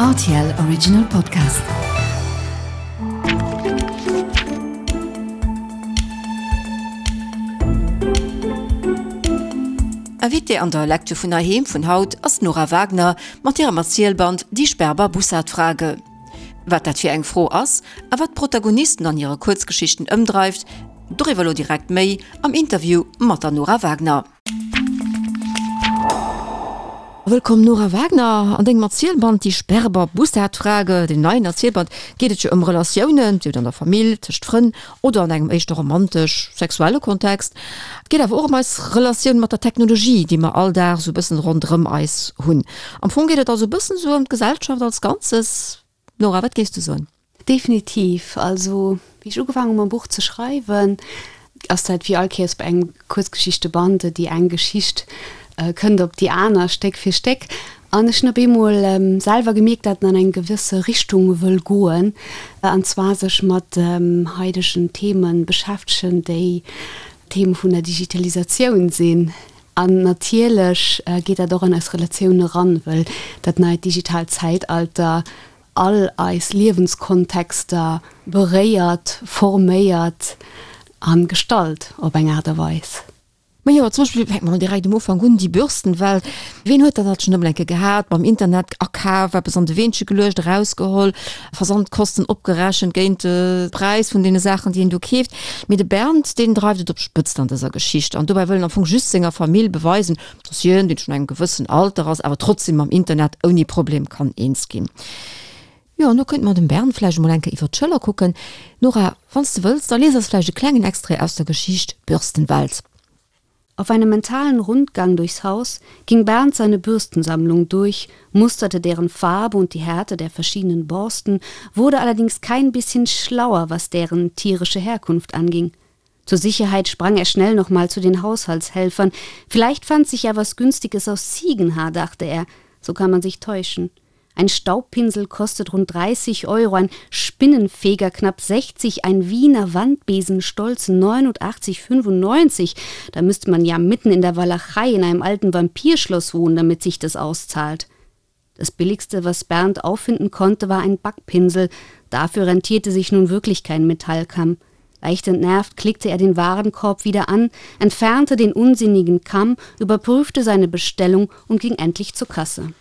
Rtl Original Podcast. Invitée an der Lecture vun Heiheem vun haut ass d'Nora Wagner mat hirem Erzielband Die Sperber-Bussard-Frage. Wat dat fir eng Fro ass a wat d'Protagonisten an hire Kuerzgeschichten ëmdreift, doriwwer elo direkt méi am Interview mat der Nora Wagner. Wëllkomm Nora Wagner. An dengem Erzielband Die Sperber-Bussard-Frage, dem neien Erzielband, geet et jo ëm Relatiounen, sief et an der Famill, tëscht Frënn oder an engem éischter romantesch-sexuelle Kontext. Et geet awer och ëm eis Relatioun mat der Technologie, déi mer all Dag esou e bëssen ronderëm eis hunn. Am Fong geet et also e bëssen esou ëm d'Gesellschaft als Ganzes. Nora, wat géifs du soen? Definitiv. Also wéi ech ugefaangen hu mam Buch ze schreiwen, ass dat wéi all Kéiers bei engem Kuerzgeschichteband, déi eng Geschicht kënnt op déi aner, Stéck fir Stéck. An ech hunn op eemol selwer gemierkt, dat en an eng gewësse Richtung wëll goen, an zwar sech mat haidegen Theme beschäftegen, déi Theme vun der Digitalisatioun sinn. An natierlech geet dat och an eis Relatioun eran, wëll dat neit digitaalt Zäitalter all eis Liewenskontexter beréiert, forméiert a gestalt op eng Aart a Weis. Majo, zum Beispill, fänke mer mol direkt um Ufank un, déi Bürstenwelt. Ween huet dat alt schonn ëmmer eng Kéier gehat, mam Internet akaf, eppes an de Weenche geluecht, erausgeholl, Versandkosten opgerechent géint de Präis vun deene Saachen, déi een do keeft. Mee de Bernd, deen dreift et op d'Spëtzt an dëser Geschicht an dobäi wëll en am Fong just senger Famill beweisen, dass hien, deen schonn engem gewëssen Alter ass, awer trotzdem mam Internet ouni Problem kann eens ginn. Jo, an do könnte mer dem Bernd vläicht emol eng Kéier iwwer d'Schëller kucken. Nora, wann s de wëlls, da lies eis vläicht e klengen Extrait aus der Geschicht Bürstenwelt. Auf einem mentalen Rundgang durchs Haus ging Bernd seine Bürstensammlung durch, musterte deren Farbe und die Härte der verschiedenen Borsten, wurde allerdings kein bisschen schlauer, was deren tierische Herkunft anging. Zur Sicherheit sprang er schnell noch mal zu den Haushaltshelfern. Vielleicht fand sich ja was Günstiges aus Ziegenhaar, dachte er. So kann man sich täuschen. Ein Staubpinsel kostet rund 30 Euro, ein Spinnenfeger knapp 60, ein Wiener Wandbesen stolz 89,95. Da müsste man ja mitten in der Walachei in einem alten Vampirschloss wohnen, damit sich das auszahlt. Das billigste, was Bernd auffinden konnte, war ein Backpinsel. Dafür rentierte sich nun wirklich kein Metallkamm. Leicht entnervt klickte er den Warenkorb wieder an, entfernte den unsinnigen Kamm, überprüfte seine Bestellung und ging endlich zur Kasse.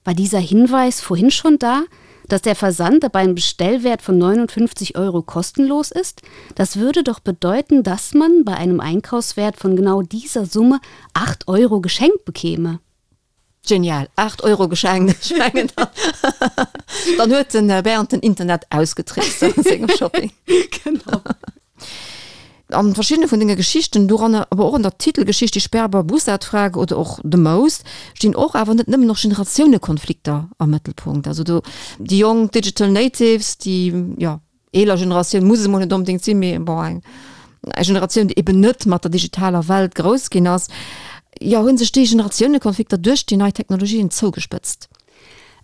War dieser Hinweis vorhin schon da, dass der Versand ab einem Bestellwert von 59 Euro kostenlos ist? Das würde doch bedeuten, dass man bei einem Einkaufswert von genau dieser Summe 8 Euro geschenkt bekäme. Genial, 8 Euro geschenkt, ech mengen dann huet den Bernd den Internet ausgetrickst an sengem Shopping. Genau. An verschiddene vun denge Geschichten, doranner awer och an der Titelgeschicht Die Sperber-Bussard-Frage oder och The Most, stinn och awer net nëmmen och Generatiounekonflikter am Mëttelpunkt. Also do déi jonk Digital Natives, déi, jo, eeler Generatioun muss et emol net onbedéngt sinn, mee bon, eng Generatioun, déi eben net mat der digitaler Welt grouss ginn ass, jo, hu sech déi Generatiounekonflikter duerch déi nei Technologien zougespëtzt?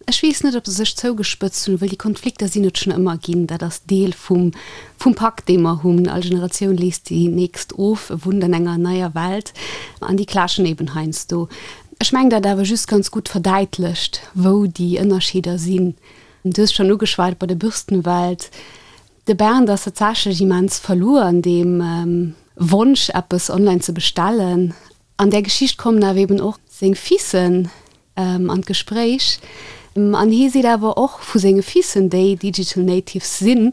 Ech weess net, ob se sech zougespëtzt hunn, well déi Konflikter sinn et schonn ëmmer ginn. Dat ass Deel vum, vum Pak, dee mer hunn. All Generatioun léisst déi nächst of, wunnt an enger neier Welt an déi clashen eben heiansdo. Ech mengen, dat awer just ganz gutt verdäitlecht, wou déi Ënnerscheeder sinn. Du hues schonn ugeschwat bei der Bürstenwelt. De Bernd ass tatsächlech immens verluer an deem Wonsch, eppes online ze bestellen. An där Geschicht kommen awer eben och seng Fissen an d'Gespréich. An hie seet awer och vu senge Fissen, déi Digital Natives sinn,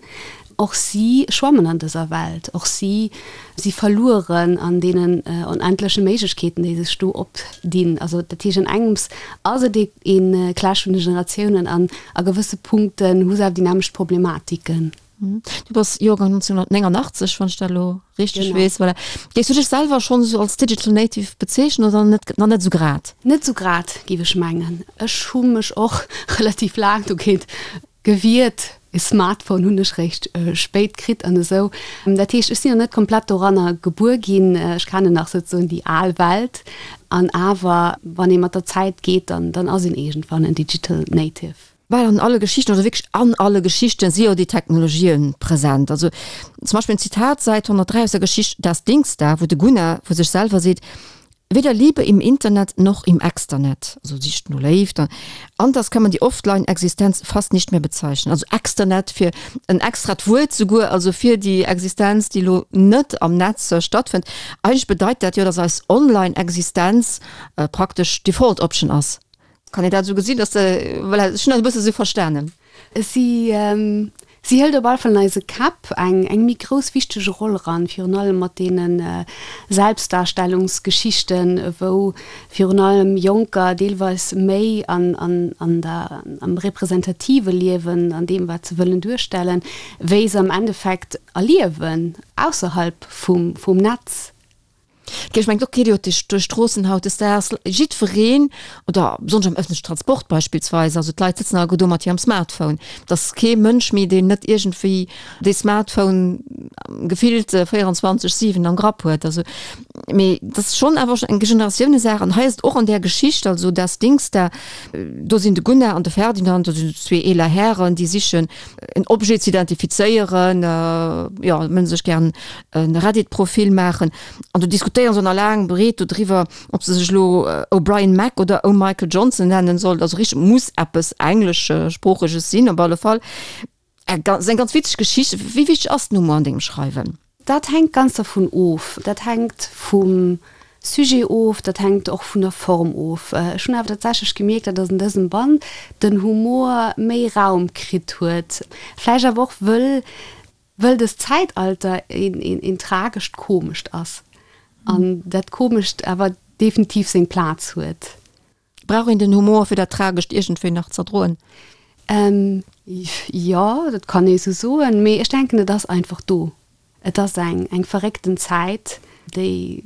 och si schwammen an dëser Welt, och si si verlueren an deenen onendleche Méiglechkeeten, déi sech do opdinn. Also dat heescht, an engems ass et ee Clash vun de Generatiounen an a gewësse Punkten hu se awer déi nämmlecht Problematiken. Du bass Joergang 1989, wann ech dat elo richteg weess. Voilà. Géifs du dech selwer schonn esou als Digital Native bezeechnen oder net, nach net esou grad? Net esou grad, géif ech mengen. Ech hu mech och relativ laang dogéint gewiert. E Smartphone hunn ech réischt spéit kritt an esou. Dat heescht, ech sinn nach net komplett doranner gebuer ginn. Ech kennen nach souzesoen déi al Welt. An awer, wann ee mat der Zäit geet, dann, dann ass een iergendwann en Digital Native. Bal an alle Geschichten, oder wierklech an alle Geschichten, si jo déi Technologien present. Also zum Beispill en Zitat, Säit 103 aus der Geschicht Das Dings da, wou de Gunnar vu sech selwer seet, Weder Liebe im Internet noch im Externet, also sicht no Léift, anders kann man die Offline-Existenz fast nicht mehr bezeichnen. Also Externet fir en extrat Wuert souguer, also fir déi Existenz, déi elo net am Netz stattfënnt. Eigentlech bedeit dat jo, dass eis Online-Existenz praktesch d'Default Option ass. Kann een dat esou gesinn, dass de, voilà, ech hunn dat e bësse esou verstanen. Si, si hëlt op alle Fall an eise Käpp eng, eng méi grouss wichteg Roll eran, virun allem mat deene Selbstdarstellungsgeschichten, wou virun allem Jonker deelweis méi an, an, an der, am representative Liewen, an deem wat se wëllen duerstellen, wéi se am Endeffekt erliewen ausserhalb vum, vum Netz. Ech mengen, do geet jo duerch d'Stroossen hautdesdaags jiddwereen, oder besonnesch am ëffentlechen Transport beispillsweis, also d'Leit sëtzen alleguer do mat hirem Smartphone. Et ass kee Mënsch méi, deen net iergendwéi dee Smartphone gefillt 24, 7 am Grapp huet. Also, mee dat ass schonn awer eng Generatiounesaach. An hei ass et och an där Geschicht, also Das Dings da, do sinn de Gunnar an de Ferdinand, dat sinn zwee eeler Hären, déi sichen en Objet ze identifizéieren, jo, wëllen sech gären e Reddit-Profil maachen an do diskutéieren se nach laang breet dodriwwer, ob se sech elo O'Brien Mac oder O'Michael Johnson nennen sollt. Also richteg muss eppes Engleschsproocheges sinn op alle Fall. Eng ganz, eng ganz witzeg Geschicht. Wéi wichteg ass den Humor an dengem Schreiwen? Dat hänkt ganz dervun of. Dat hänkt vum Sujet of, dat hänkt och vun der Form of. Ech hunn awer tatsächlech gemierkt, datt an dësem Band den Humor méi Raum kritt huet. Vläicht awer och wëll Wëll dëst Zäitalter een tragescht Komescht ass an dat Komescht awer definitiv seng Plaz huet. Brauch een den Humor fir dat Tragescht iergendwéi nach z'erdroen? Jo, dat kann ee sou soen, mee ech denken et ass einfach do. Et ass eng verréckten Zäit, déi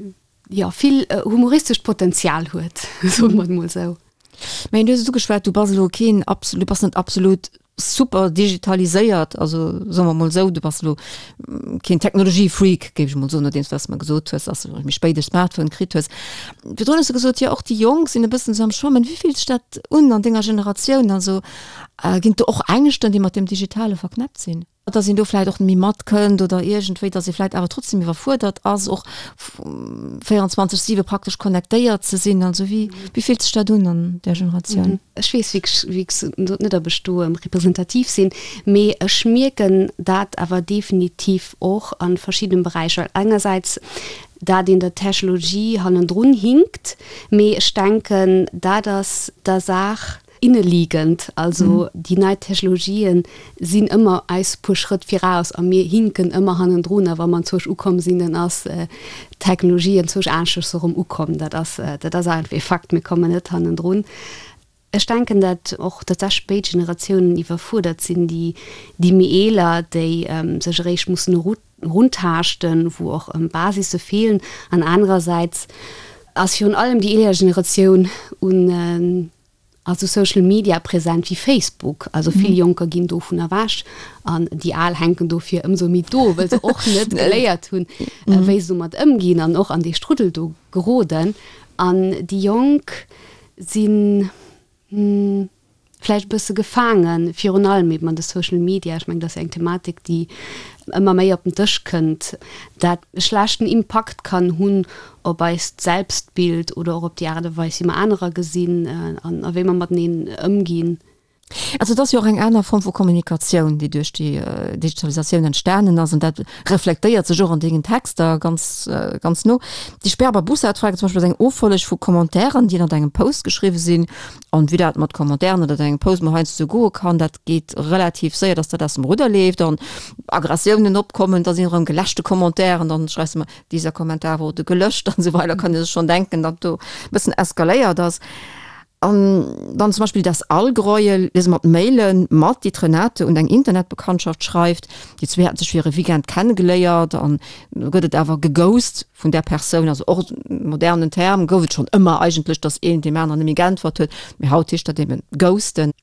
jo vill humoristescht Potenzial huet, soe mer et mol sou. Mä du hues et ugeschwat, du bass elo keen absolut, du bass net absolut super digitaliséiert, also soe mer mol esou, du bass elo keen Technologie-Freak, géif ech mol soen, nodeems wat s de mer gesot hues, dass de méi spéit e Smartphone kritt hues. Virdrun hues de gesot, jo och déi Jonk sinn e bëssen esou am Schwammen. Wéi fillt sech dat un an denger Generatioun? Also ginn et do och Ängschten, déi mat deem Digitale verknäppt sinn? Dass een do vläit och net méi matkënnt oder iergendwéi, dass ee vläit awer trotzdem iwwerfuerdert ass, och 24, 7 praktesch connectéiert ze sinn. Also wéi, wéi fillt sech dat un an där Generatioun? Ech weess wierklech, wéi gesot net, ob ech do representativ sinn, mee ech mierken dat awer definitiv och a verschiddenen Beräicher. Engersäits dat een der Technologie hannendrun hinkt, mee ech denken, dat ass der Saach Inneliegend, also déi nei Technologien sinn ëmmer eis puer Schrëtt viraus a mir hinken ëmmer hannendrun. A wa mer anzwousch ukomm sinn, dann ass d'Technologie anzwousch aneschters erëm ukomm. Dat ass, dat ass einfach ee Fakt, mir kommen net hannendrun. Ech denken, dat och tatsächlech béid Generatiounen iwwerfuerdert sinn, déi, déi méi eeler, déi sech eréischt mussen eruntaaschten, wou och Basisse feelen, an anerersäits ass virun allem déi eeler Generatioun un Also Social Media present wéi Facebook. Also vill Jonker ginn dovun ewech an déi Al hänken dofir ëmsou méi do, wëll se och net geléiert hunn, wéi se domat ëmginn an och an dee Struddel do geroden. An déi Jonk si vläicht e bësse gefaangen, virun allem eben an de Social Media. Ech mengen, dat ass jo eng Thematik, déi ëmmer méi op den Dësch kënnt, dat e schlechten Impakt kann hunn op eist Selbstbild oder och op déi Aart a Weis, wéi mer anerer gesinn an a wéi mer mateneen ëmginn. Also et ass jo och eng aner Form vu Kommunikatioun, déi duerch déi Digitalisatioun entstanen ass an dat reflektéiert sech och an dengen Texter ganz, ganz no. Déi Sperber Bussard-Frage zum Beispill ass eng Offolleg vu Commentairen, déi ënnert engem Post geschriwwe sinn. An wéi dat mat Commentairen ënnert engem Post mol heiansdo sou goe kann, dat geet relativ séier, dass dat aus dem Rudder leeft an Aggressiounen opkommen, da sinn erëm geläschte Commentairen, dann schreifs de mer, Dieser Kommentar wurde gelöscht an esou weider, kann ee sech schonn denken, datt do e bëssen eskaléiert ass. An dann zum Beispill das Allgräuel, liese mer d'Mailen mat, déi d'Renate un eng Internetbekanntschaft schreift. Déi zwee haten sech fir e Weekend kennegeléiert an do gëtt et awer geghost vun där Persoun, also och e modernen Term, gouf et schonn ëmmer eigentlech, datt een deem aneren net méi geäntwert huet, mee haut heescht dat eben ghosten.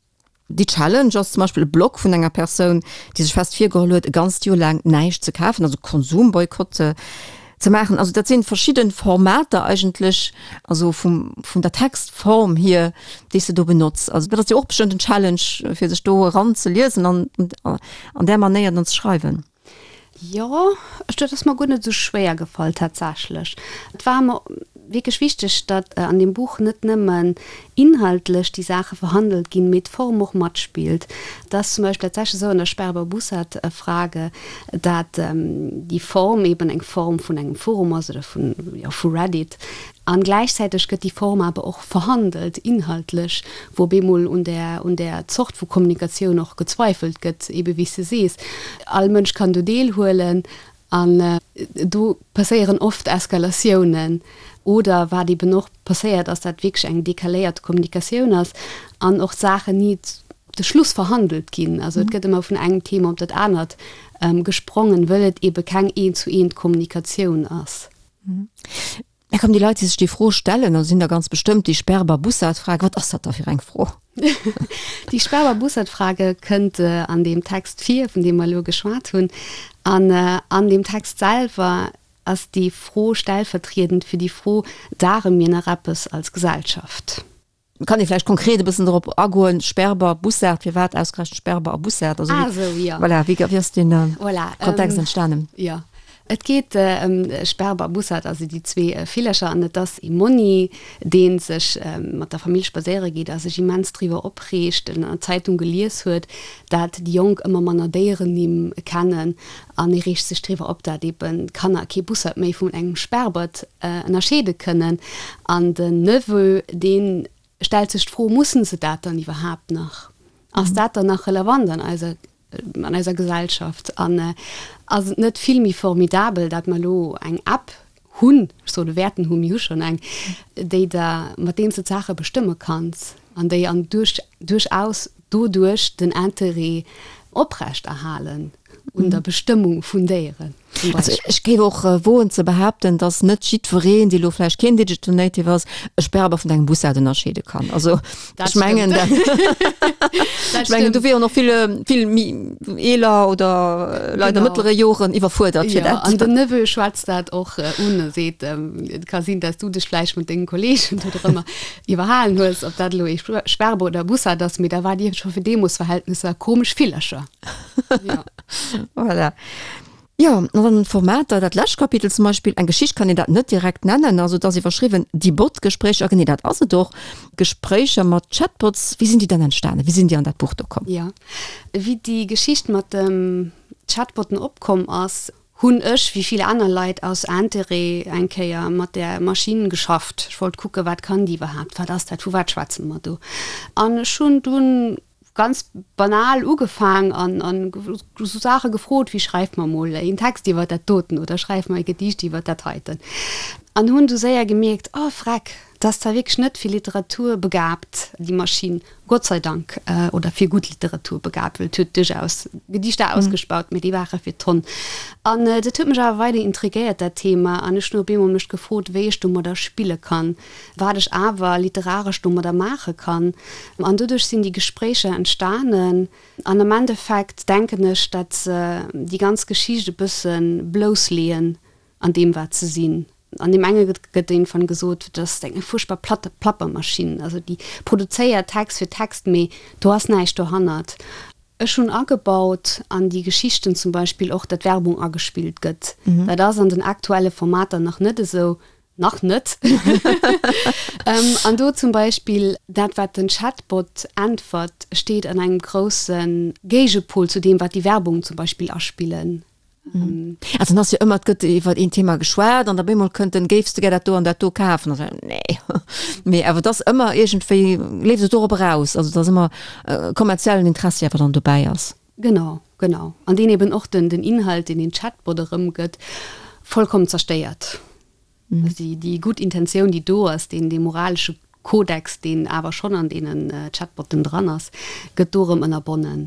Déi Challenge ass zum Beispill e Blog vun enger Persoun, déi sech fest virgeholl huet, e ganzt Joer laang näischt ze kafen, also Konsumboykott ze maachen. Also dat sinn verschidde Formater eigentlech, also vum, vun der Textform hier, déi s de do benotz. Also dat ass jo och bestëmmt en Challenge, fir sech do eranzeliesen an an där Manéier dann ze schreiwen. Jo, ech, dat ass mer guer net esou schwéier gefall tatsächlech. Et war mer. wierklech wichteg, datt an deem Buch net nëmmen inhaltlech déi Saache verhandelt ginn, mee d'Form och matspillt. Et ass zum Beispill tatsächlech esou an der Sperber-Bussard-Frage, dat déi Form eben eng Form vun engem Forum ass oder vun, jo, vu Reddit. An gläichzäiteg gëtt déi Form awer och verhandelt, inhaltlech, wou op eemol un där, un där Zort vu Kommunikatioun och gezweifelt gëtt, ebe wéi s de sees, all Mënsch kann do deelhuelen an do passéieren oft Eskalatiounen. Oder wat eben och passéiert ass, dat wierklech eng decaléiert Kommunikatioun ass an och d'Saachen ni op de Schluss verhandelt ginn. Also et gëtt ëmmer vun engem Thema op dat anert gesprongen, wëll et ebe keng Eent-zu-eent-Kommunikatioun ass. Mä komm, déi Leit, déi sech déi Fro stellen, also sinn der ganz bestëmmt, déi Sperber-Bussard-Frage, wat ass dat da fir eng Fro? Déi Sperber-Bussard-Frage kënnt an deem Text vir, vun deem mer elo geschwat hunn. An an deem Text selwer ass déi Fro stellvertriedend fir déi Fro, Dare mir nach eppes als Gesellschaft? Kann ee vläicht konkret e bëssen dorop agoen, Sperber, Bussard, firwat ausgerechent Sperber a Bussard? Also ah, sou, ja. Voilà, wéi, wéi ass deen voilà, Kontext ähm, entstanen? Ja. Et geet ëm äh, Sperber a Bussard, also déi zwee äh, Villercher, an et ass ee Monni, dee sech äh, mat der Famill spadséiere geet a sech immens driwwer opreegt, en an der Zeitung gelies huet, dat déi Jonk ëmmer manner Déierennimm kennen, an e reegt sech driwwer op, dat eben d'Kanner kee Bussard méi vun engem Sperbert ënnerscheede kënnen. An den Neveu, dee stellt sech d'Fro, Mussen se dat dann iwwerhaapt nach? Ass dat dann nach relevant an eiser, an eiser Gesellschaft? An ass et net vill méi formidabel, dat mer elo eng App hunn, ech soen wäerten hunn, mir hu schonn eng, déi der, mat deem s de d'Saache bestëmme kanns an déi an duerch, duerchaus doduerch den Interêt oprecht erhalen un der Bestëmmung vun Déieren zum Also Beispill. ech géif och woen ze behaapten, datt net jiddwereen, dee lo vläicht keen Digital Native ass, e Sperber vun engem Bussard ënnerscheede kann. Also Dat ech mengen, stëmmt. dat Dat ech mengen, do stëmmt. wieren och vill, vill méi eeler oder Leit a Genau. mëttlere Joren iwwerfuerdert fir Jo, dat. an den Neveu schwätzt dat och un a seet, Et ka sinn, datt s du dech vläicht mat dengen Kolleegen do drëmmer iwwerhalen hues, ob dat elo ee Sperber oder e Bussard ass, mee da waart Dir scho fir deemoos Verhältnisser komesch Villercher. Ja. Voilà. Jo, an dann d'Formater, dat lescht Kapitel zum Beispill, eng Geschicht kann een dat net direkt nennen, also et ass iwwerschriwwen Die Bot-Gespréicher, genee dat ass et och, Gespréicher mat Chatbots. Wéi sinn déi dann entstanen, wéi sinn déi an dat Buch do komm? Jo, wéi déi Geschicht mat de Chatbotten opkomm ass, hunn ech, wéi vill aner Leit, aus Interêt eng Kéier mat där Maschinn geschafft. Ech wollt kucken, wat kann déi iwwerhaapt, wat ass dat, vu wat schwätze mer do? An ech hunn dunn ganz banal ugefaang an an esou Saache gefrot wéi, schreif mer mol een Text iwwer dat doten oder schreif mer e Gedicht iwwer dat heiten. An hunn du séier gemierkt, oh vreck, dat ass zwar wierklech net fir Literatur begaabt, déi Maschinn, Gott sei Dank, oder fir gutt Literatur begaabt, well et huet duerchaus Gedichter ausgespaut, mee déi ware fir d'Honn. An dat huet mech awer weider intrigéiert, dat Thema, an ech hunn op eemol mech gefrot, wéi ech domadder spille kann, wat ech awer literaresch domadder maache kann. An doduerch sinn déi Gespréicher entstanen. An am Endeffekt denken ech, datt se déi ganz Geschicht e bësse bloussleeën an deem wat se sinn. An deem enge gëtt iergendwann gesot, dat ass eng fuerchtbar platt Plappermaschinn, also déi produzéiert Text fir Text, mee do ass näischt dohannert. Ech hunn agebaut an déi Geschichten zum Beispill och, datt Werbung agespillt gëtt. Dat ass an den aktuelle Formater nach net esou, nach net. An do zum Beispill dat wat den Chatbot äntwert, steet an engem grousse Géigepol zu deem wat déi Werbung zum Beispill aspillen. Also dann ass jo ëmmer, et gëtt iwwer een Thema geschwat an op eemol kënnt den, géifs de gär dat do an dat do kafen? An da nee. Mee awer et ass ëmmer iergendwéi, leeft et dorop eraus, also datt ëmmer e kommerziellen Interessi awer dann dobäi ass. Genau, genau. An deen eben och den Inhalt, deen den Chatbot erëmgëtt, vollkommen zerstéiert. Also déi, déi gutt Intentioun, déi do ass, deen, dee moralesche Kodex, deen awer schonn an deenen Chatbotten dran ass, gëtt do erëm ënnerbonnen.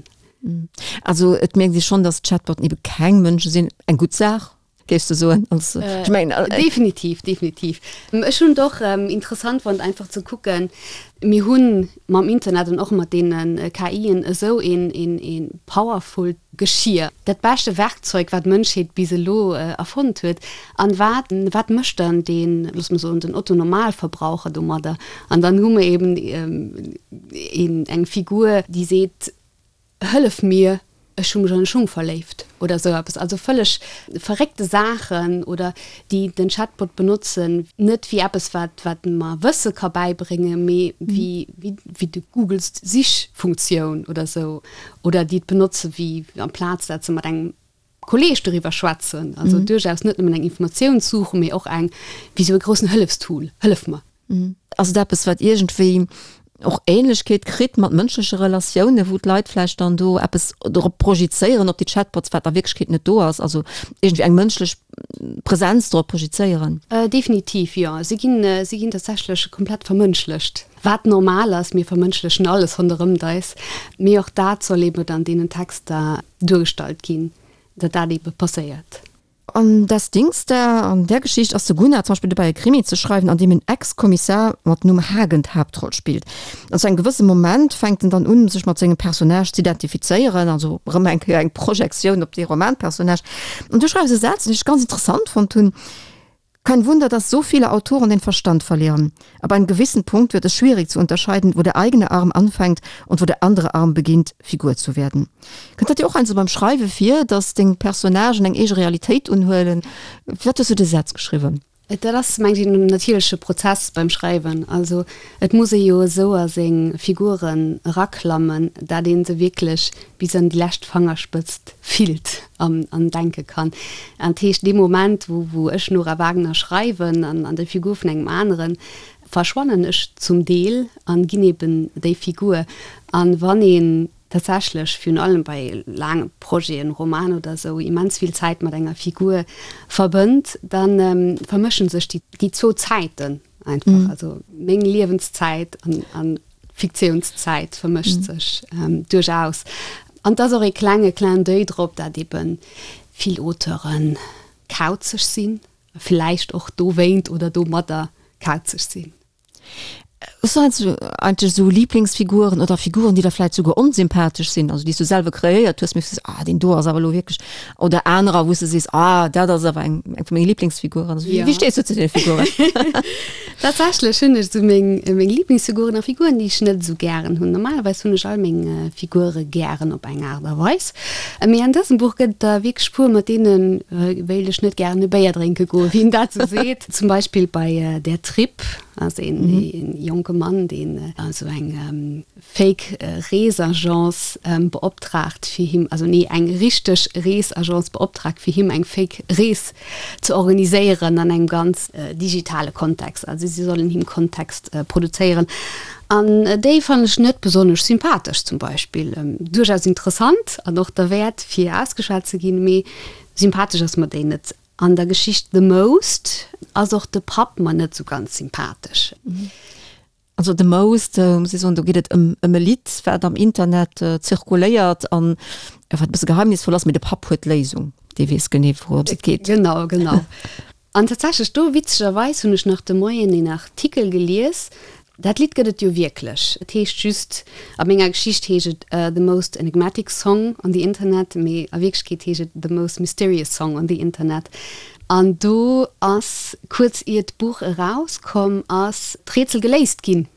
Also et mierkt ee schonn, datt Chatbotten ebe keng Mënsche sinn. Eng gutt Saach, géifs de soen? Als, ech mengen. Definitiv, definitiv. Ech hunn et och interessant fonnt, einfach ze kucken, mir hu mam Internet an och mat deene KIen esou een, een, ee powerfult Geschir, dat beschte Werkzeug, wat d'Mënschheet bis elo erfonnt huet. An wat, wat mécht dann deen, loosse mer soen, den Otto-Normalverbraucher domadder? An dann hu mer eben een, eng Figur, déi seet, Hëllef mir! Ech hu mech an e Schung verléift oder esou eppes. Also vëlleg verréckte Saachen oder déi den Chatbot benotzen, net wéi eppes, wat wat mer Wësse ka bäibréngen, mee wéi wéi de Googles Sichfunktioun oder esou oder déi et benotze wéi amplaz dat se mat engem Kolleeg doriwwer schwätzen. Also duerchaus net nëmmen eng Informatioun suchen, mee och eng wéi esou e groussen Hëllefstool, Hëllef mer. Ass et eppes, wat iergendwéi och Ähnlechkeet kritt mat mënschleche Relatiounen, wou d'Leit vläicht dann do eppes drop projizéieren op déi Chatbots, wat a Wierklechkeet net do ass, also iergendwéi eng mënschlech Presenz drop projizéieren? Definitiv, jo. Si ginn, si ginn tatsächlech komplett vermënschlecht, wat normal ass. Mir vermënschlechen alles ronderëmt eis, mee och dat soll eeben an deenen Texter duergestallt ginn, datt dat eebe passéiert. An Das Dings da, an där Geschicht ass de Gunnar zum Beispill dobäi e Krimi ze schreiwen, an deem en Ex-Kommissar mat Numm Hagen d'Haaptroll spillt. An zu engem gewësse Moment fänkt en dann un, sech mat sengem Personnage z'identifizéieren, also erëm eng Kéier eng Projektioun op dee Romanpersonnage. An du schreifs e Saz, deen ech ganz interessant fonnt hunn, Kein Wunder, dass so viele Autoren den Verstand verlieren. Ab einem gewissen Punkt wird es schwierig zu unterscheiden, wo der eigene Arm anfängt und wo der andere Arm beginnt, Figur zu werden. Kënnt dat dir och heiansdo beim Schreiwe vir, dass deng Personnagen eng eege Realitéit unhuelen? Firwat hues du de Saz geschriwwen? Dat ass, mengt ech, en natierleche Prozess beim Schreiwen. Also et muss ee jo esou a seng Figuren eraklammen, dat ee se wierklech bis an déi lescht Fangerspëtzt fillt an an denke kann. An dat heescht, dee Moment, wou wou ech Nora Wagner schreiwen an an der Figur vun engem aneren, verschwannen ech zum Deel an ginn eben déi Figur. An wann een tatsächlech, virun allem bei laange Projeten, Roman oder esou, immens vill Zäit mat enger Figur verbënnt, da vermëschen sech déi déi zwou Zäiten einfach. Also meng Liewenszäit an an Fiktiounszäit vermëscht sech duerchaus. An et ass och ee klenge Clin d'oeil drop, dat ebe vill Auteure kauzeg sinn, a villäicht och dowéint oder domadder kauzeg sinn. Hues du heiansdo eigentlech esou Liblingsfiguren oder Figuren, déi der vläicht souguer onsympathesch sinn, also déi s du selwer kreéiert hues, mee wou s du sees, ah deen do ass awer elo wierklech, oder anerer, wou s du sees, ah dat ass awer eng eng vu menge Liblingsfiguren. Also wéi stees du zu deene Figuren? Tatsächlech hunn ech esou meng meng Liblingsfiguren a Figuren, déi ech net esou gären hunn. Normalerweis hunn ech all meng Figure gären op eng Aart a Weis. Mee an dësem Buch gëtt et der wierklech puer, mat deene wéilt ech net gären e Béier drénke goen, wéi een dat esou seet. Zum Beispill bei Der Trip ass een jonke Mann, deen esou eng Fake Reesagence beoptraagt fir him, also nee eng richteg Reesagence beoptraagt fir him eng Fake Rees ze organiséieren an engem ganz digitale Kontext. Also si sollen him Kontext produzéieren an déi fannen ech net besonnesch sympathesch zum Beispill. Duerchaus interessant an och derwäert fir ausgeschwat ze ginn, mee sympathesch ass mer déi net. An der Geschicht The Most ass och de Papp mer net sou ganz sympathesch. Also The Most, muss ech soen, do geet et ëm ëm e Lidd, wat am Internet zirkuléiert an wat e bësse geheimnisvoll ass, mee de Papp huet d'Léisung, dee weess genee wourëms et geet. Genau, genau. An tatsächlech do, witzegerweis, hunn ech nach de Moien een Artikel gelies, dat Lidd gëtt et jo wierklech, et heescht just, a menger Geschicht heescht et The Most Enigmatic Song on the Internet, mee a Wierklechkeet heescht et The Most Mysterious Song on the Internet. An do ass, kuerz ier d'Buch erauskomm ass, d'Rätsel geléist ginn.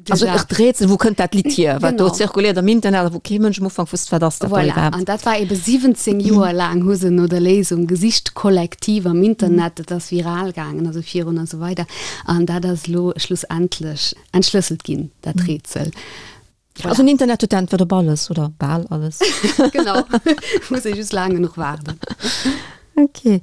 Also och d'Rätsel, wou kënnt dat Lidd hier, wat do zirkuléiert am Internet a wou kee Mënsch am Ufank wusst, wat ass dat do iwwerhaapt. Voilà, an dat war ebe 17 Joer laang hu se no der Léisung gesicht, kollektiv am Internet, dat ass viral gaangen, also virun a sou weider. An dat ass elo schlussendlech entschlësselt ginn, dat Rätsel. Voilà. Also den Internet huet d'Äntwert op alles oder bal alles. Genau, muss ee just laang genuch waarden. Okay.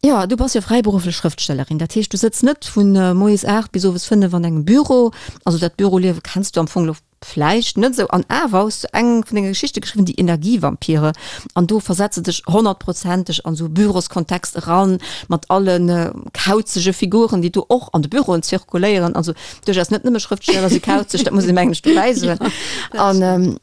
Jo, du bass jo fräiberufflech Schrëftstellerin, dat heescht du sëtz net vun moies 8 bis owes 5 an engem Büro. Also dat Büroliewe kenns du am Fong lo vläicht net esou. An awer hues du eng vun denge Geschichte geschriwwen, Die Energievampire, an do versetz de dech honnertprozenteg an esou e Büroskontext eran, mat alle kauzege Figuren, déi do och an de Büroen zirkuléieren. Also Duerchaus net nëmme Schrëftsteller si kauzeg, dat muss ee mengen ech dobäi soen. An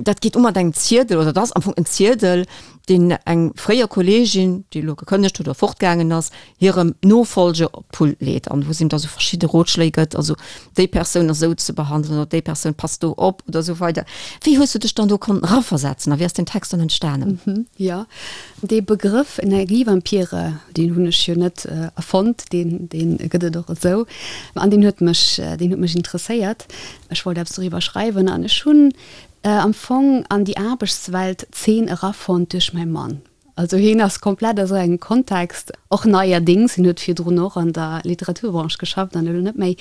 dat geet u mat engem Ziedel, oder dat ass am Fong en Ziedel, deen eng fréier Kolleegin, déi elo gekënnegt huet oder fortgaangen ass, hirem Nofollger op d'Pult leet an wou se him da sou verschidde Rotschléi gëtt, also déi Persoun ass esou ze behandelen oder déi Persoun passt do op oder esou weider. Wéi hues du dech dann do konnten eraversetzen a wéi ass deen Text dann entstanen? Jo, Dee Begrëff Energievampire, deen hunn ech jo net erfonnt, deen, deen gëtt et och esou. An deen huet mech, deen huet mech interesséiert. Ech wollt eppes doriwwer schreiwen an ech hunn. am Fong an déi Aarbechtswelt Zeen erafonnt duerch mäi Mann. Also hien ass komplett a sou engem Kontext, och neierdéngs, hien huet virdrun och an der Literaturbranche geschafft an elo net méi.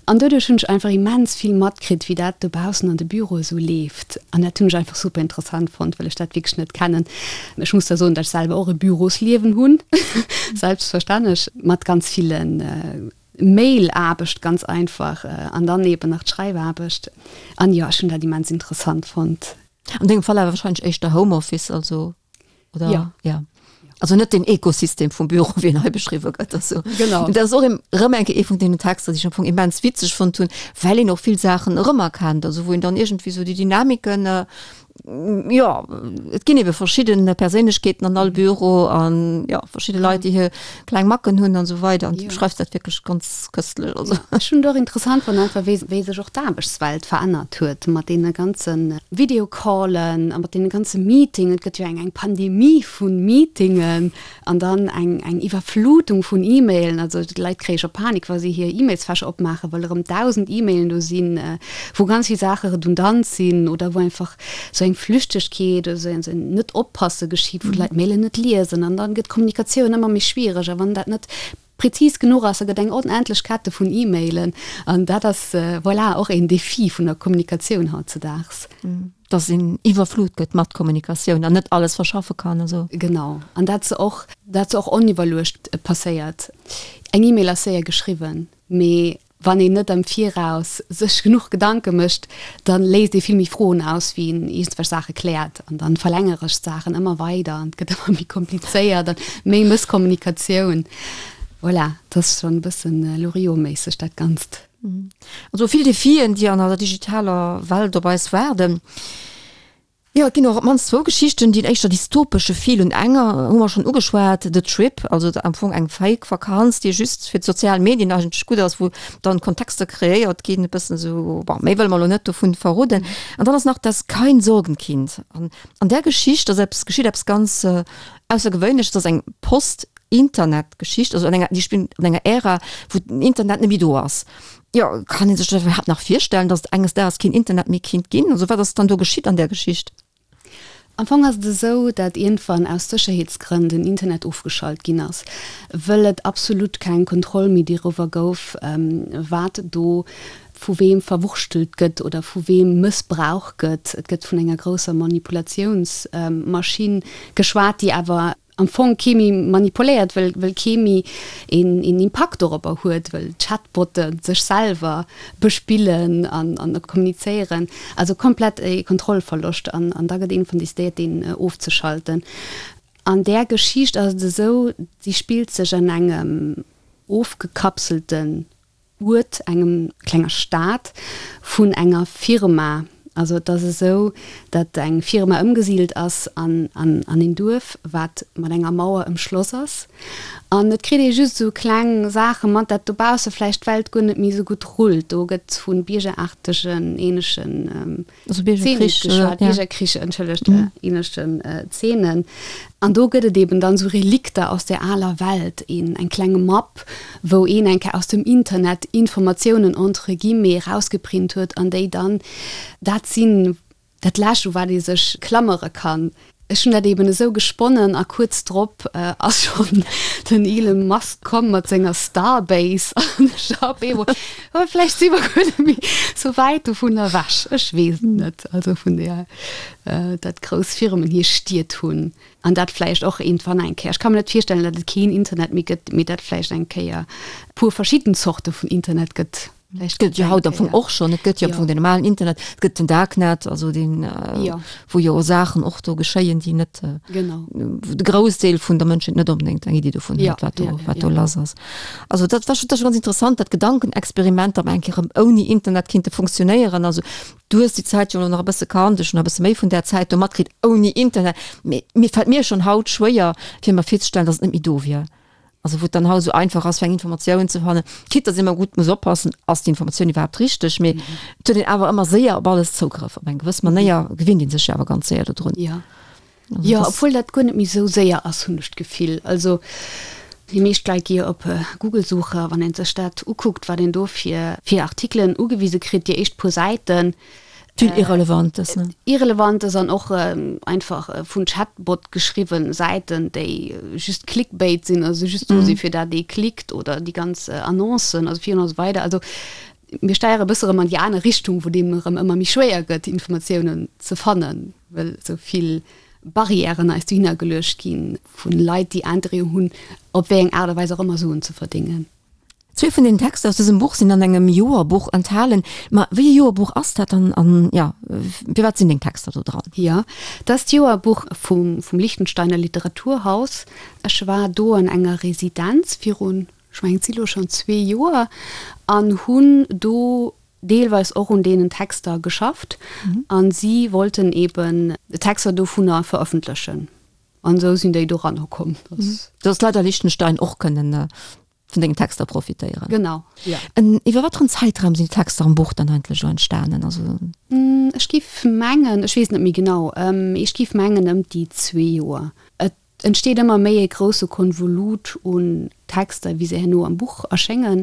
An doduerch hunn ech einfach immens vill matkritt, wéi dat dobaussen an de Büroe sou leeft. An dat hunn ech einfach super interessant fonnt, well ech dat wierklech net kennen. Ech muss da soen, datt ech selwer och e Bürosliewen hunn, selbstverständlech, mat ganz ville Mail-Aarbecht ganz einfach an dann eben nach d'Schreifaarbecht. An jo, ech hunn dat immens interessant fonnt. An dengem Fall awer wahrscheinlech éischter Homeoffice, also, oder? Ja. Ja. Also net den Ekosystem vum Büro, wéi en hei beschriwwe gëtt. Also, genau. Dat ass och erëm eng Kéier ee vun deenen Texter, déi ech am Fong immens witzeg fonnt hunn, well een och vill Saachen erëmerkennt, also wou een dann iergendwéi esou déi Dynamiken, jo, et ginn ebe verschidde Perséinlechkeeten an all Büro an jo, verschidde Leit, déi hir kleng Macken hunn an esou weider. An du beschreifs dat wierklech ganz köstlech. Also. Ech hunn et och interessant fonnt, einfach wéi, wéi sech och d'Aarbechtswelt verännert huet mat deene ganze Videocallen a mat deene ganze Meetingen. Et gëtt jo eng, eng Pandemie vu Meetingen an dann eng, eng Iwwerflutung vun E-Mailen. Also d'Leit kréie scho Panik, wa si hir E-Mailsfächer opmaachen, well erëm 1.000 E-Mailen do sinn, wou ganz vill Saache redundant sinn oder wou einfach sou eng Flüchtegkeet oder sou en Net-Oppasse geschitt, wou d'Leit d'Mailen net liesen an dann gëtt d'Kommunikatioun ëmmer méi schwiereg a wann dat net prezis genuch ass, da gëtt eng onendlech Kette vun E-Mailen an dat ass, voilà, och een Defi vun der Kommunikatioun hautzedaags. Dass een iwwerflut gëtt mat Kommunikatioun an net alles verschaffe kann a sou. Genau, an dat se och, dat se och oniwwerluecht passéiert. Eng E-Mail ass séier geschriwwen, mee Wann een net am Viraus sech genuch Gedanke mécht, da léisst ee vill méi Froen aus, wéi een iergendwelch Saache kläert. An da verlängere sech d'Saachen ëmmer weider an et gëtt ëmmer méi komplizéiert an méi Mësskommunikatioun. Voilà, et ass schonn e bëssen Loriot-méisseg dat Ganzt. Also vill Defien, déi an eiser digitaler Welt op eis waarden. Jo, et ginn och op d'mannst zwou Geschichten, déi en éischter dystopesche Feel hunn. Enger hu mer schonn ugeschwat, The Trip, also am Fong eng Fake Vakanz, déi just fir d'sozial Medien eigentlech gutt ass, wou dann Kontexter kreéiert ginn, e bëssen esou, bon, méi wëlle mer elo net dovun verroden. An dann ass nach Das Kein Sorgenkind. An an där Geschicht ass eppes, geschitt eppes ganz Aussergewéinleches, dat ass eng Post-Internet-Geschicht, also an enger, déi spillt an enger Ära, wou den Internet net méi do ass. Jo, kann ee sech dat iwwerhaapt nach virstellen, datt et enges Daags keen Internet méi kinnt ginn? Also wat ass dann do geschitt an där Geschicht? Am Fong ass et esou, dat iergendwann aus Sécherheetsgrënn den Internet ofgeschalt ginn ass, wëll et absolut keng Kontroll méi doriwwer gouf, wat do vu weem verwurschtelt gëtt oder vu weem mëssbrauch gëtt. Et gëtt vun enger grousser Manipulatiounsmaschinn geschwat, déi awer am Fong kee méi manipuléiert, well well kee méi een een Impakt dorobber huet, well d'Chatbotte sech selwer bespillen an an kommunizéieren. Also komplett e Kontrollverloscht an an da gëtt iergendwann decidéiert, deen ofzeschalten. An där Geschicht ass et esou, si spillt sech an engem ofgekapselten Uert, engem klenger Stad, vun enger Firma. Also et ass esou, datt eng Firma ëmgesidelt ass an an een Duerf, wat mat enger Mauer ëmschloss ass. An et kritt ee just esou kleng Saache mat, datt dobausse vläicht d'Welt guer net méi esou gutt rullt. Do gëtt vu biergeraartegen, ähnlechen. Also Biergerkrich, Zeenen geschwat, ja. Biergerkrich, entschëllegt, mhm. ähnlechen äh, Zeenen. An do gëtt et eben dann so Relikter aus der aler Welt, een, eng klenge Mapp, wou een eng Kéier aus dem Internet Informatiounen entre guillemets rausgeprint huet an déi dann dat sinn, dat Lescht, u wat ee sech klammere kann. Ech hunn dat eben esou gesponnen a kuerz drop ass schonn den Elon Musk komm mat senger Starbase an ech war op eemol, oh vläicht si mer guer net méi sou wäit dovun ewech, ech weess et net. Also vun där, datt grouss Firmen hir Stied hunn an dat vläicht och iergendwann eng Kéier, ech ka mir net virstellen, datt et keen Internet méi gëtt, mee datt vläicht eng Kéier e puer verschidden Zorte vun Internet gëtt. Et gëtt jo haut am Fong och schonn, et gëtt jo am Fong den normalen Internet, et gëtt den Darknet, also deen, wou jo Saachen och do geschéien, déi net, wou de Groussdeel vun der Mënschheet net onbedéngt eng Iddi dovun huet, wat do, wat do lass ass. Also dat war scho, dat ass scho ganz interessant, dat Gedankenexperiment, datt mer eng Kéier erëm ouni Internet kinnte funktionéieren. Also du hues déi Zäit jo elo nach e bësse kannt, ech hunn nach e bësse méi vun där Zäit do matkritt ouni Internet, mee mir fält mir schonn haut schwéier, fir mer virzestellen, datt et net méi do wier. Also wou et dann haut esou einfach ass fir eng Informatioun ze fannen, quitte dass een ëmmer gutt muss oppassen, ass déi Informatioun iwwerhaapt richteg, mee et huet een awer ëmmer séier op alles Zougrëff. Op eng gewëss Manéier gewinnt ee sech jo awer ganz séier dodrun. Jo, jo, obwuel dat guer net méi esou séier ass, hunn ech d'Gefill. Also déi meescht Leit gi jo op Google suchen, wann ee sech dat ukuckt, wat een do fir fir Artikelen ugewise kritt, déi éischt puer Säiten. Vill Irrelevantes, ne? Irrelevantes an och einfach vun Chatbot geschriwwen Säiten, déi just Clickbait sinn, also just do si fir dat ee klickt oder déi ganz Annoncen, also virun a sou weider. Also mir steiere e bësse erëm an déi aner Richtung, wou et eben erëm ëmmer méi schwéier gëtt, Informatiounen ze fannen, well esou vill Barrièren eis dohinner geluecht gi vu Leit, déi Interêt hunn, op wéi eng Aart a Weis och ëmmer Suen ze verdéngen. Zwee vun den Texter aus dësem Buch sinn an engem Joerbuch enthalen. Ma wéi ee Joerbuch ass dat dann an, jo, firwat sinn deng Texter do dran? Jo, dat ass d'Joerbuch vum vum Liechtensteiner Literaturhaus. Ech war do an enger Residenz virun, ech mengen et si lo schonn zwee Joer, an hunn do deelweis och un deenen Texter geschafft an si wollten eben Texter dovunner verëffentlechen an esou sinn déi doranner komm. Dass d'Leit a Liechtenstein och kënnen vun dengen Texter profitéieren. Genau, ja. En, iwwer wat fir en Zäitraum sinn d'Texter am Buch dann eigentlech elo entstanen? Also. Ech giff mengen, ech weess net méi genau, mee ech giff mengen ëm déi zwee Joer. Et entsteet ëmmer méi e grousse Konvolut un Texter, wéi se herno am Buch erschéngen.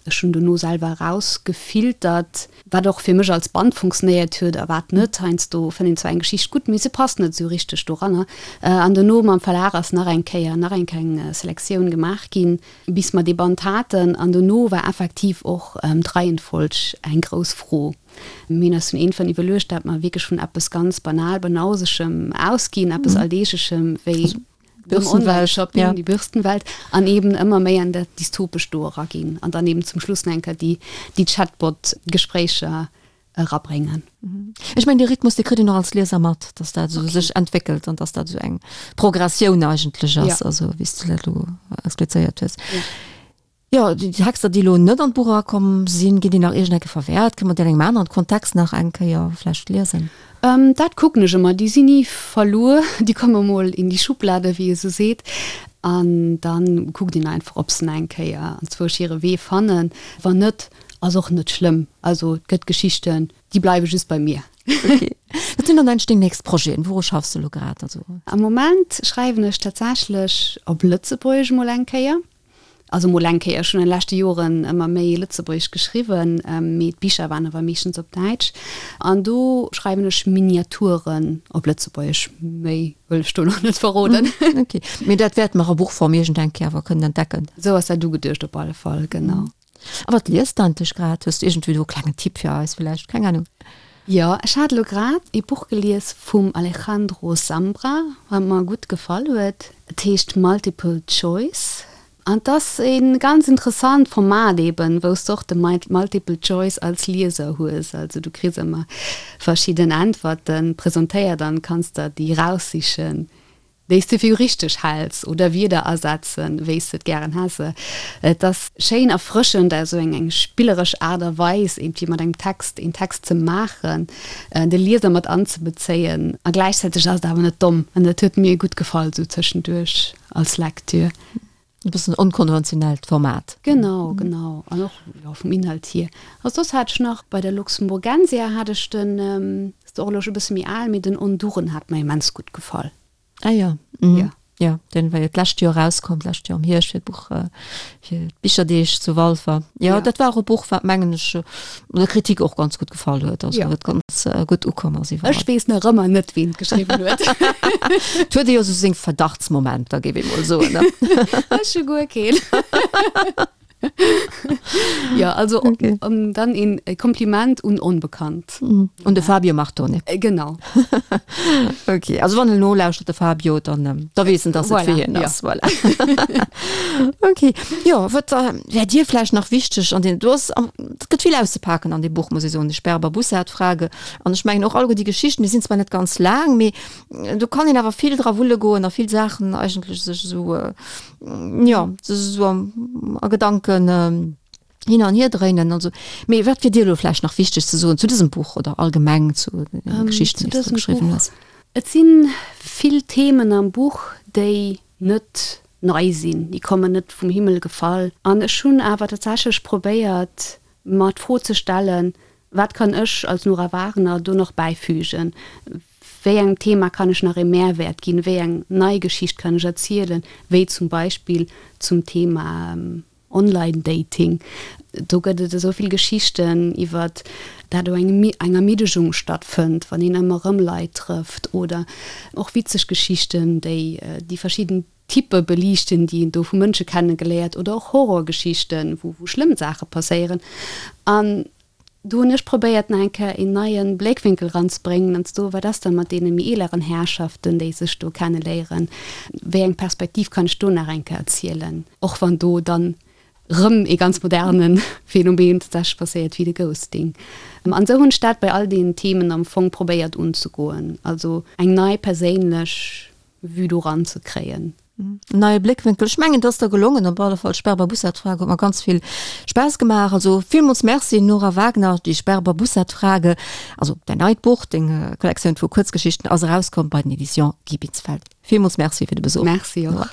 Ech hunn dono selwer erausgefiltert, wat och fir mech als Band funktionéiert huet a wat net. Heiansdo fënnt een zwar eng Geschicht gutt, mee se passt net esou richteg doranner. An dono mam Verlag ass nach eng Kéier nach eng kleng Selektioun gemaach ginn, bis mer dee Band haten. An dono war effektiv och d'Reihenfolg eng grouss Fro. Mir hunn eis dunn iergendwann iwwerluecht, dat mer wierklech vun eppes ganz banal Banausegem ausginn, eppes Alldeeglechem wéi dem Online-Shopping, ja. déi Bürstenwelt, an eben ëmmer méi an dat Dystopescht do eraginn an dann eben zum Schluss nach eng Kéier déi, déi Chatbot-Gespréicher erabréngen. Ech mengen, dee Rhythmus, dee kritt een och als Lieser mat, dass dat esou sech entwéckelt an dass dat esou eng Progressioun eigentlech ass, ja. also wéi s du dat elo explizéiert hues. Ja. Jo, déi Texter, déi elo net an d'Buch erakomm sinn, ginn déi nach iergend eng Kéier verwäert? Kënne mer déi an engem aneren Kontext nach eng Kéier vläicht liesen? Dat kucken ech ëmmer. Déi sinn ni verluer. Déi komme mol in die Schublade, wéi ee sou seet. An da kuckt een einfach, ob se nach eng Kéier anzwousch hire Wee fannen. Wann net, ass och net schlëmm. Also et gëtt Geschichten, déi bleiwe just bei mir. Ok. Wat sinn dann eigentlech deng nächst Projeten? Wouru schaffs de elo grad? Also. Am Moment schreiwen ech tatsächlech op Lëtzebuergesch mol eng Kéier. Also mol eng Kéier, ech hunn an de leschte Joren ëmmer méi Lëtzebuergesch geschriwwen, mee d'Bicher waren awer meeschtens op Däitsch. An do schreiwen ech Miniaturen op Lëtzebuergesch. Méi wëll ech do nach net verroden. Ok, mee dat wäerte mer a Buchform iergend eng Kéier awer kënnen entdecken. Esou ass dat ugeduecht op alle Fall, genau. A wat liest de eigentlech grad? Hues du iergendwéi do e klengen Tipp fir eis villäicht? Keng Ahnung. Jo, ech hat elo grad ee Buch gelies vum Alejandro Zambra, wat mer gutt gefall huet. Et heescht Multiple Choice an et ass ee ganz interessant Format eben, wou s de och de Multiple Choice als Lieser hues. Also du kriss ëmmer verschidden Äntwerte presentéiert an kanns der déi eraussichen, Déi s de fir richteg häls oder Wierder ersetzen, wéi s de et gären häss. Et ass schéin erfrëschend, esou eng eng spilleresch Aart a Weis iergendwéi mat engem Text een Text ze maachen, de Lieser mat anzebezéien a gläichzäiteg ass et awer net domm an dat huet mir gutt gefall esou tëschenduerch als Lektür. E bëssen onkonventionellt Format. Genau, genau. An och, jo, vum Inhalt hier. Also soss hat ech nach, bei der Luxemburgensia hat ech den, ass och elo scho e bësse méi al, mee den Honduren hat mer immens gutt gefall. Ah jo, mhm. Ja. Jo, deen war jo d'lescht Joer erauskomm, d'lescht Joer am Hierscht fir d'Buch, fir d'Bicherdeeg zu Walfer. Jo, dat war och e Buch, wat mengen ech, der Kritik och ganz gutt gefall huet, also wat ganz gutt ukomm ass iwwerall. Ech weess nach ëmmer net, ween et geschriwwen huet. Et huet ee jo esou seng Verdachtsmomenter, géif ee mol soen, ne? Ech hu guer keen. Jo, also okay. Dann een Kompliment un Onbekannt. Un de Fabio Martone. Genau. Okay, also wann en nolauschtert, de Fabio, dann da weess en, dass et fir hien ass. Voilà. Okay, jo, wat wär dir vläicht nach wichteg an den, du ass, et gëtt vill auszepaken an deem Buch, muss ech soen, die Sperber-Bussard-Frage. An ech mengen och alleguer déi Geschichten, déi sinn zwar net ganz laang, mee do kann een awer vill dra wulle goen a vill Saachen eigentlech sech esou, jo, sech esou a Gedanken hin an hier dréinen. Also, mee wat wier dir elo vläicht nach wichteg ze soen zu dësem Buch oder allgemeng zu de Geschichten, déi s du geschriwwen hues? Et si vill Themen am Buch, déi net nei sinn, déi kommen net vum Himmel gefall. An ech hunn awer tatsächlech probéiert, mer d'Fro ze stellen, Wat kann ech als Nora Wagener do nach bäifügen? Wéi engem Thema kann ech nach ee Mehrwäert ginn? Wéi eng nei Geschicht kann ech erzielen, wéi zum Beispill zum Thema. Online-Dating. Do gëtt et esou vill Geschichten iwwert dat do eng eng Ermiddegung stattfënnt, wann een ëmmer erëm Leit trëfft oder och witzeg Geschichten, déi déi verschidden Typpe beliichten, déi een do vu Mënsche kenne geléiert oder och Horrorgeschichten, wou wou schlëmm Saache passéieren. An do hunn ech probéiert nach eng Kéier een neie Bléckwénkel eranzebréngen an ze soen, wat ass da mat deene méi eeleren Herrschaften, déi sech do kenneléieren, wéi eng Perspektiv kann ech do nach eng Kéier erzielen, och wann do dann rëm ee ganz moderne Phänomen tatsächlech passéiert wéi de Ghosting. An esou hunn ech dat bei all deenen Themen am Fong probéiert unzegoen, also eng nei perséinlech Vue do ranzekréien. En neie Bléckwénkel. Ech mengen, et ass der gelongen. Op alle Fall, d'Sperber-Bussard-Frage huet mer ganz vill Spaass gemaach. Also villmools Merci, Nora Wagner. Die Sperber-Bussard-Frage, also däin neit Buch, deng Kollektioun vu Kuerzgeschichten, ass erauskomm bei den Editions Guy Binsfeld. Villmools Merci fir de Besuch. Merci och.